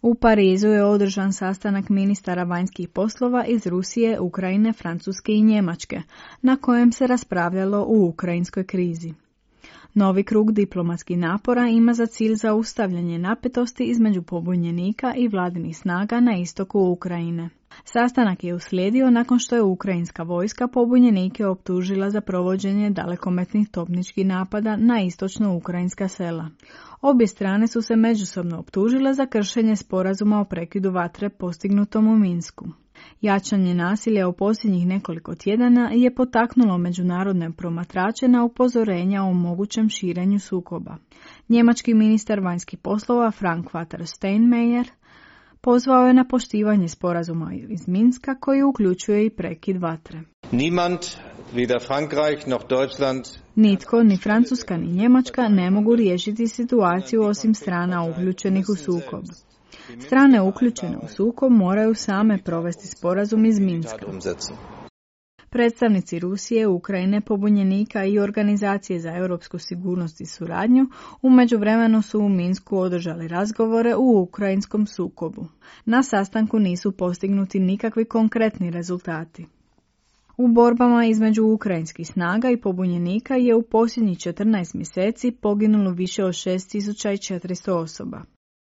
U Parizu je održan sastanak ministara vanjskih poslova iz Rusije, Ukrajine, Francuske i Njemačke, na kojem se raspravljalo o ukrajinskoj krizi. Novi krug diplomatskih napora ima za cilj zaustavljanje napetosti između pobunjenika i vladinih snaga na istoku Ukrajine. Sastanak je uslijedio nakon što je ukrajinska vojska pobunjenike optužila za provođenje dalekometnih topničkih napada na istočno ukrajinska sela. Obje strane su se međusobno optužile za kršenje sporazuma o prekidu vatre postignutom u Minsku. Jačanje nasilja u posljednjih nekoliko tjedana je potaknulo međunarodne promatrače na upozorenja o mogućem širenju sukoba. Njemački ministar vanjskih poslova Frank-Walter Steinmeier pozvao je na poštivanje sporazuma iz Minska koji uključuje i prekid vatre. Niemand, weder Frankreich noch Deutschland, nitko, ni Francuska ni Njemačka ne mogu riješiti situaciju osim strana uključenih u sukob. Strane uključene u sukob moraju same provesti sporazum iz Minska. Predstavnici Rusije, Ukrajine, pobunjenika i Organizacije za europsku sigurnost i suradnju u međuvremenu su u Minsku održali razgovore u ukrajinskom sukobu. Na sastanku nisu postignuti nikakvi konkretni rezultati. U borbama između ukrajinskih snaga i pobunjenika je u posljednjih 14 mjeseci poginulo više od 6400 osoba.